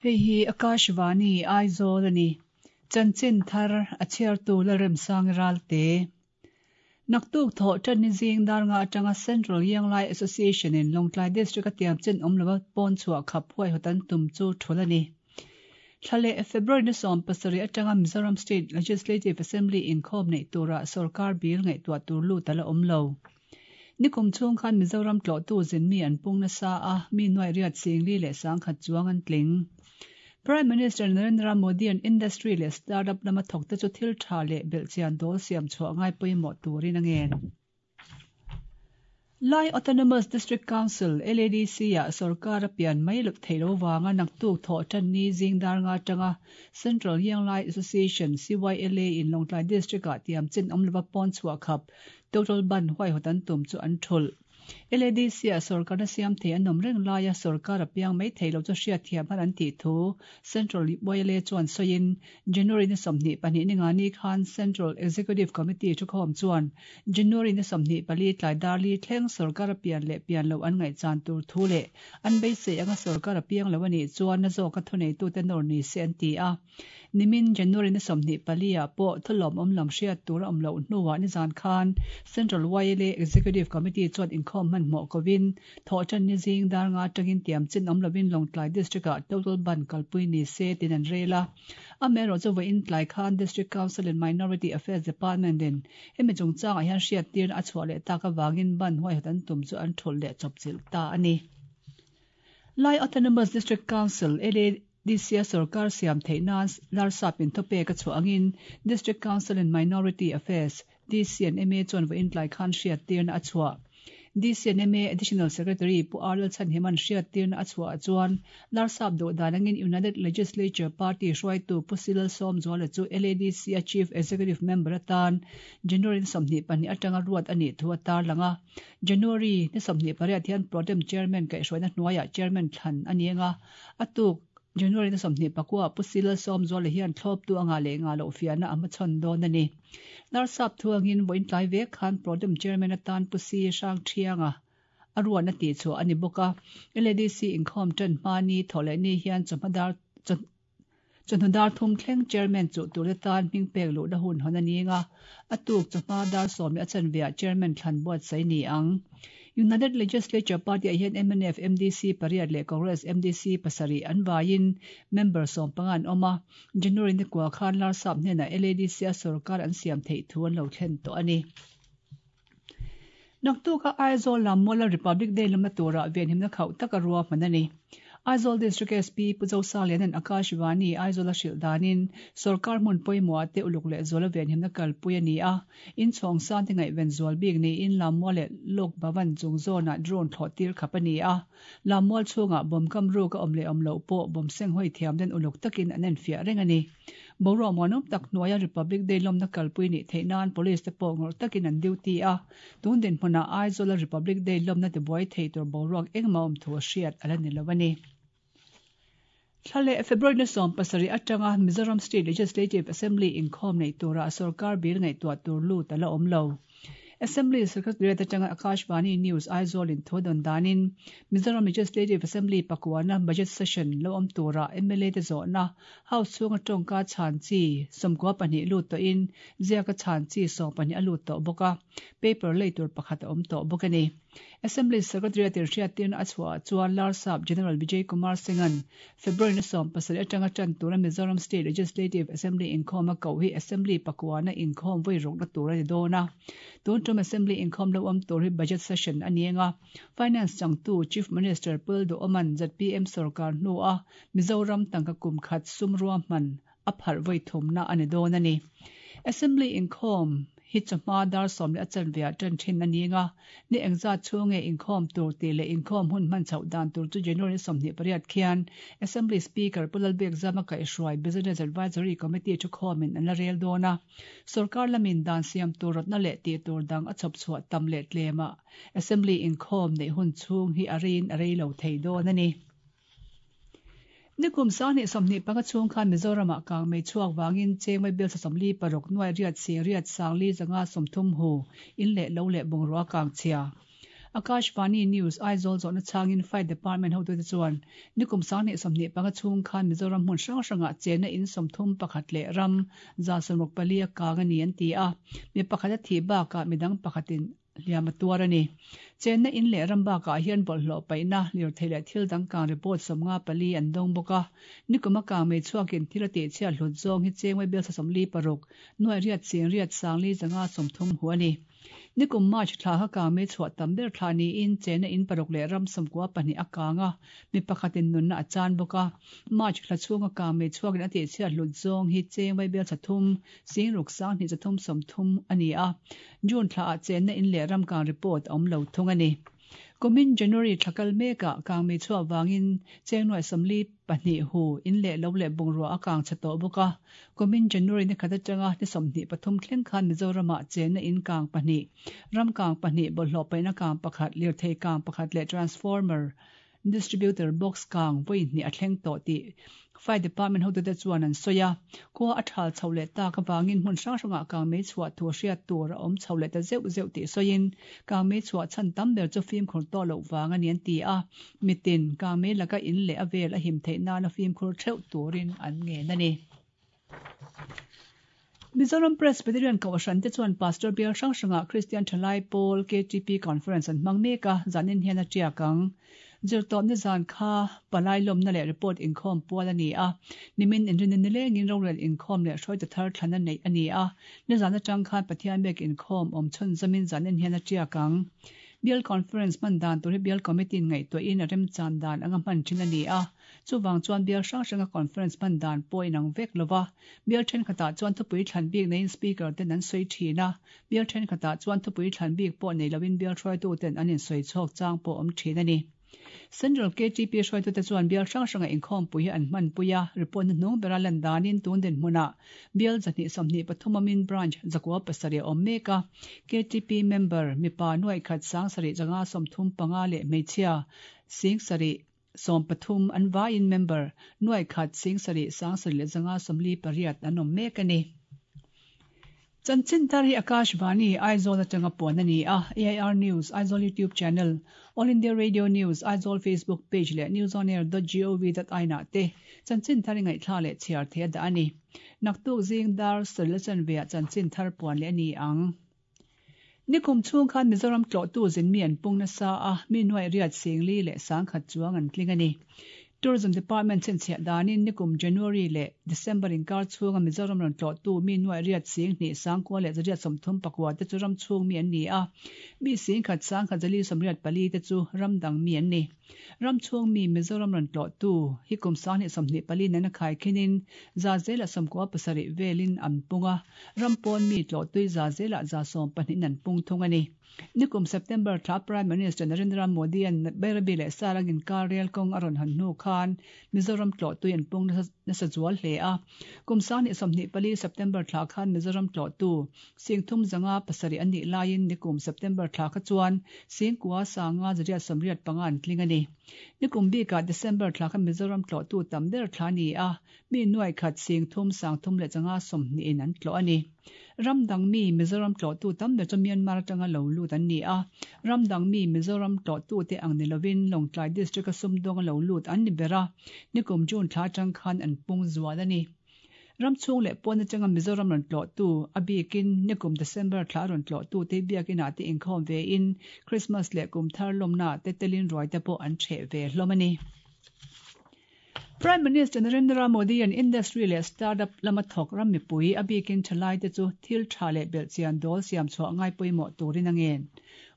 Hei hi Akashvani, Aizawl a ni. Chanchin thar a chhiartu Lalremsangi Ralte. Naktuk thawh tanni zing dar nga atanga Central Yanglai Association in Lawngtlai District a tiam chin awm lova pawn chhuah khap huaihawt an tum chu thul a ni. Thla leh February ni 17 atanga Mizoram State Legislative Assembly inkhawm neih turah sorkar bil ngaihtuah tur lut a la awm lo. Nikum chhung khan Mizoram tlawhtu zin mi an pung nasa a, mi nuaih riat 40,000 chuang an tling. Prime Minister Narendra Modi an industry leh startup lama thawkte chu thil tha leh belhchian dawl siam chhuah ngai pawimawh turin a ngen. Lai Autonomous District Council, LADC, ah sorkar a pian mai loh theih lo vanga naktuk thawh tan ni zing dar nga atanga Central Yanglai Association, CYLA, in Lawngtlai District ah tiam chin awm lova pawn chhuah khap Total ban huaihawt an tum chu an thulh. LADC ah sorkarna siam thei an awm reng laia sorkar a piang mai thei lo chu hriatthiam har an tih thu Central YLA chuan sawiin January ni 22 ni nga ni khan Central Executive Committee thukhawm chuan January ni 24 tlai dar li thleng sorkar a pian leh pian lo an ngaihchan tur thu leh an beisei anga sorkar a piang lo a nih chuan na zawka thuneitute nawr ni se an ti a. Nimin January ni 24 ah pawh thulawm awm lam hriat tur a awm loh hnuah nizan khan Central YLA Executive Committee chuan inkhawm hmanhmawh kovin thawh tan ni zing dar nga atangin tiam chin awm lovin Lawngtlai District ah total ban kalpui ni se tin an rel a. Amaherawh chu vawiin tlai khan District Council and Minority Affairs Department in hemi chungchangah hian hriattirna a chhuah leh tak avangin ban huaihawt an tum chu an thulh leh chawpchilh ta a ni. Lai Autonomous District Council, LADC, a sorkar siam theih nan Larsap in thawpek a chhuah angin District Council and Minority Affairs, DC and MA, chuan vawiin tlai khan hriattirna a chhuah. DC and MA Additional Secretary Pu R Lalchhanhima'n hriattirna a chhuah chuan Larsap duh dan angin United Legislature Party hruaitu Pu Si Lalsawmzuala chu LADC a Chief Executive Member atan January ni 22 atanga ruat a nih thu a tarlang a. January ni 28 hian Protem Chairman kaihhruaina hnuaiah Chairman thlan a ni anga, a tuk January ni 29 Pu Si Lalsawmzuala hian thlawptu anga leh nga loh fiahna a hmachhawn dawn a ni. Larsap thu angin vawiin tlai vek khan Protem Chairman atan Pu Si Hrangthianga a ruahna tihchhuah a ni bawk a. LADC inkhawm tan hma ni thawh leh ni hian chawhma dar Chawhnu dar thum thleng Chairman chuh tur te tan hming pek luhna hun hawn a ni anga, a tuk chawhma dar sawm leh a chanveah Chairman thlan buatsaih ni ang. United Legislature Party ah hian mnf MDC pariat leh Congress MDC pasarih an vaiin member 15 an awm a, January ni kua khan Larsap hnenah LADC a sorkar an siam theih thu an lo thlen tawh a ni. Naktuka Aizawl lam Mawla Republic Day lamna turah venhimna khauh taka ruahman a ni. Aizawl District SP Pu Zosalianan Akashvani Aizawl a hrilh danin sorkar hmun pawimawh ah te uluk leh zuala venhimna kalpui a ni a. Inchhawng san te ngaihven zual bik niin Lammual leh Lok Bhavan chung zawnah drone thlawh tir khap a ni a. Lammual chhungah bawm kam ruk a awm leh awm loh pawh bawm seng hawi thiam den uluk takin an enfiah reng a ni. Boruak muanawm tak hnuaia Republic Day lawmna kalpui nih theih nan Police te pawh ngawrh takin an duty a, tun dinhmunah Aizawla Republic Day lawmna tibuai thei tur boruak engmah awm thu a hriat a la ni lo a ni. Thla leh February ni 17 atanga Mizoram State Legislative Assembly inkhawm neih turah sorkar bil ngaihtuah tur lut a la awm lo. Assembly Secretariat atanga Akashvani News Aizawl in thu dawn danin Mizoram Legislative Assembly pakuana Budget Session lo awm turah MLA te zawhna House chhunga tawngka chhan chi 92 lut tawhin ziaka chhan chi 12 a lut tawh bawk a, paper lei tur pakhat a awm tawh bawk a ni. Assembly Secretariat in hriattirna a chhuah chuan Larsap General Vijay Kumar Singh-a'n February ni 17 atanga tan tura Mizoram State Legislative Assembly inkhawm a koh hi Assembly pakuana inkhawm vawi rukna tur a ni dawn a. Tun tum Assembly inkhawm lo awm tur hi Budget Session a ni anga, Finance changtu Chief Minister Pul Duhawman ZPM sorkar hnua Mizoram tangka kum khat sum ruahman a pharh vawi thumna a ni dawn a ni. Assembly inkhawm hi chawhma dar sawm leh a chanveah tan thin a ni anga, ni engzat chhung nge inkhawm tur tih leh inkhawm hun hman chhoh dan tur chu January 28 khian Assembly Speaker Pu Lalbiakzama kaihhruai Business Advisory Committee thukhawmin an la rel dawn a. Sorkar lamin dan siam tur rawtna leh tih tur dang a chhawp chhuah tam leh tlemah Assembly inkhawm neih hun chhung hi a reiin a rei lo thei dawn a ni. Nikum 2025 chhung khan Mizoramah kang mei chhuak wangin chengmai bel 46 nuai riat sing riat sang li zanga 30 hu in leh lo leh bungrua kang chhia. Akashvani News, Aizawl zawhna chhangin Fire Department hotute chuan nikum 2025 chhung khan Mizoram hmun hrang hrangah chenna in 31 leh ram 164 a kang a ni an ti a, mi pakhat a thih bakah midang pakhatin hliam a tuar a ni. Chenna in leh ram bakah hian bawlhhlawh paihna, lirthei leh thil dang kang report 54 an dawng bawk a. Nikum a kang mei chhuakin thil a tihchhiat hlut zawng hi cheng vaibel 46, nuai riat ching riat sangli zanga 30 hu a ni. Nikum March thla kha kang mei chhuah tam ber thla niin chenna in paruk leh ram 92 a kang a, mi pakhatin nunna a chan bawk a. March thla chhunga kang mei chhuakin a tihchhiat hlut zawng hi cheng vaibel 3, 6 sang hnih 3 30 a ni a. June thla ah chenna in leh ram kang report a awm lo thung a ni. Kumin January thla kal mekah kang mei chhuah wangin cheng nuai 42 hu in leh lo leh bungrua a kang chhe tawh bawk a. Kumin January ni khat atanga ni 23 thleng khan Mizoramah chenna in kang pahnih, ram kang pahnih, bawlhhlawh paihna kang pakhat, lirthei kang pakhat leh transformer distributor box kang vawi hnih a thleng tawh tih Fire Department hotute chuan an sawi a. Khua a thal chho leh tak avangin hmun hrang hrangah kang mei chhuah thu hriat tur a awm chho leh ta zeuh zeuh tih sawiin kang mei chhuah chhan tam ber chu fimkhur tawh loh vang a ni an ti a. Mitin kang mei laka in leh a vel a him theih nana fimkhur theuh turin an ngen a ni. Mizoram Presbyterian Kohhran te chuan Pastor Bial hrang hrangah Kristian Thalai Pawl KTP Conference an hmang mek a, zanin hian a tiak ang. Zirtawpna zan kha palai lawmna leh report inkhawm pual a ni a, nimin inrinna nilengin rorel inkhawm leh hruaitu thar thlana neih a ni a, nizan atang khan Pathian biak inkhawm awm chhun zamin zanin hian a tiak ang. Bial Conference hman dan tur hi Bial Committee in ngaihtuahin a remchan dan anga hman thin a ni a, chuvang chuan bial hrang hranga conference hman dan pawh inang vek lova, bial thenkhatah chuan thupui thlan bik neiin speaker ten an sawi thin a, bial thenkhatah chuan thupui thlan bik pawh nei loin bial hruaitu ten an insawi chhawk chang pawh awm thin a ni. Central KTP hruaitute chuan bial hrang hranga inkhawmpui hi an hmanpui a, report hnuhnung bera lan danin tun dinhmunah bial 123 amin branch 97 a awm mek a, KTP member mipa nuai khat sang sarih zanga 35 leh hmeichhia sing sarih 13 an vaiin member nuai khat sing sarih sang sarih leh zanga 48 an awm mek a ni. Chanchin thar hi Akashvani Aizawl atanga puan a ni a, AIR News Aizawl YouTube channel, All India Radio News Aizawl Facebook page leh newsonair.gov.in ah te chanchin thar i ngaihthla leh chhiar thei a dah a ni. Naktuk zing dar sarih la chanve ah chanchin thar puan leh a ni ang. Nikum chhung khan Mizoram tlawhtu zin mi an pung nasa a, mi nuai riat singli leh sangkhat chuang an tling a ni. Tourism Department chhinchhiah danin nikum January leh December inkar chhunga Mizoram rawn tlawhtu mi nuai riat sing hnih sangkua leh zariat 39 te chu ram chhung mi an ni a, mi sing khat sangkhat zali 84 te chu ram dang mi an ni. Ram chhung mi Mizoram rawn tlawhtu hi kum 2024 nena khai khinin za zela 97 velin an pung a, ram pawn mi tlawhtui za zela za 12 an pung thung a ni. Nikum September thla Prime Minister Narendra Modi an Bairabi leh Sarangin kar rel kawng a rawn han hnu khan Mizoram tlawhtui an pung nasa zual hle a. Kum 2024 September thla khan Mizoram tlawhtu sing thum zanga pasarih an nih laiin nikum September thla kha chuan sing kua sanga zariat 85 an tling a ni. Nikum bikah December thla kha Mizoram tlawhtu tam ber thla ni a, mi nuai khat sing thum sang thum leh zanga 20 in an tlawh a ni. Ram dang mi Mizoram tlawhtu tam ber chu Myanmar atanga lo lut an ni a, ram dang mi Mizoram tlawhtu te ang ni lovin Lawngtlai district a sumdawng a lo lut an ni ber a, nikum June thla atang khan an pung zual a ni. Ram chhung leh pawn atanga Mizoram rawn tlawhtu a bikin nikum December thla rawn tlawhtu te biakinah te inkhawm ve in Christmas leh kum thar lawmna te telin ruai te pawh an ṭheh ve hlawm a ni. Prime Minister Narendra Modi an industry leh startup lama thawk ram mipui a bikin thalai te chu thil tha leh belhchian dawl siam chhuah ngai pawimawh turin a ngen.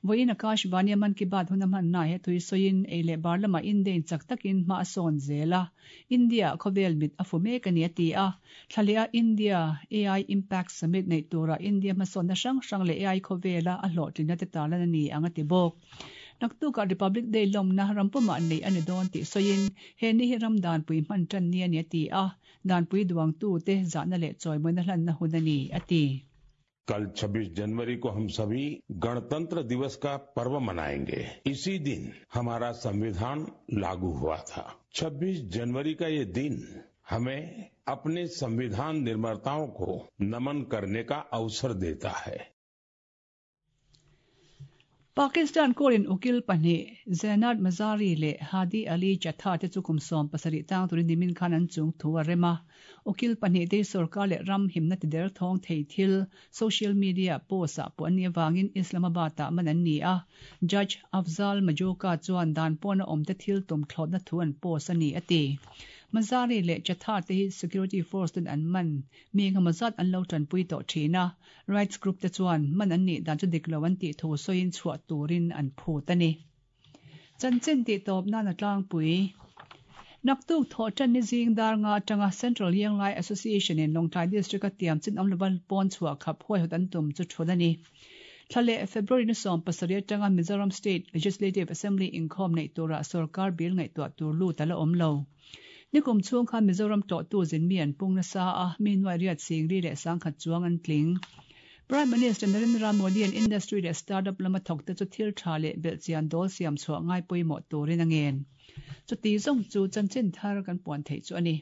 Vawiin Akashvani a Mann Ki Baat hun a hman na he thui sawiin ei leh bar lama Indian chak takin hma a sawn zel a, India khawvel mit a fu mek a ni a ti a. Thlaleh a India AI Impact Summit nei tura India hmasawnna hrang hrang leh AI khawvela a hlawhtlinna te tarlan a ni ang a ti bawk. Naktukah Republic Day lawmna rampumah nei a ni dawn tih sawiin he ni hi ram danpui hman tan ni a ni a ti a, danpui duangtu te zahna leh chawimawina hlanna hun a ni a ti. कल 26 जनवरी को हम सभी गणतंत्र दिवस का पर्व मनाएंगे। इसी दिन हमारा संविधान लागू हुआ था। 26 जनवरी का ये दिन हमें अपने संविधान निर्माताओं को नमन करने का अवसर देता है। Pakistan court-in ukil pahnih, Zainat Mazari leh Hadi Ali Chatha te chu kum 70 tang turin nimin khan an chung thu a rem a. Ukil pahnihte hi sorkar leh ram himna ti der thawng thei thil social media post-ah pawh an nih avangin Islamabad-ah man an ni a. Judge Afzal Majoka chuan dan pawna awmte thil tum thlawtna thu an post a ni, a ti. Mazari leh Chatha te hi security force ten an man mi engemaw zat an lo tanpui tawh thin a. Rights group te chuan man an nih dan chu dik lo an tih thu sawiin chhuah turin an phut a ni. Chanchin tih tawp nan a tlangpui. Naktuk thawh tan ni zing dar nga atanga Central Yenglai Association in Lawngtlai District a tiam chin awm lova pawn chhuah khap huaihawt an tum chu thul a ni. Thla leh February ni 70 atanga Mizoram State Legislative Assembly inkhawm neih turah sorkar bill ngaihtuah tur lut a la awm lo. Nikum chhung khan Mizoram tlawhtu zin mi an pung nasa a, mi nuai riat singri leh sangkhat chuang an tling. Prime Minister Narendra Modi an industry leh startup lama thawkte chu thil tha leh belhchian dawl siam chhuah ngai pawimawh turin a ngen. Chuti zawng chu chanchin thar kan puan theih chu a ni.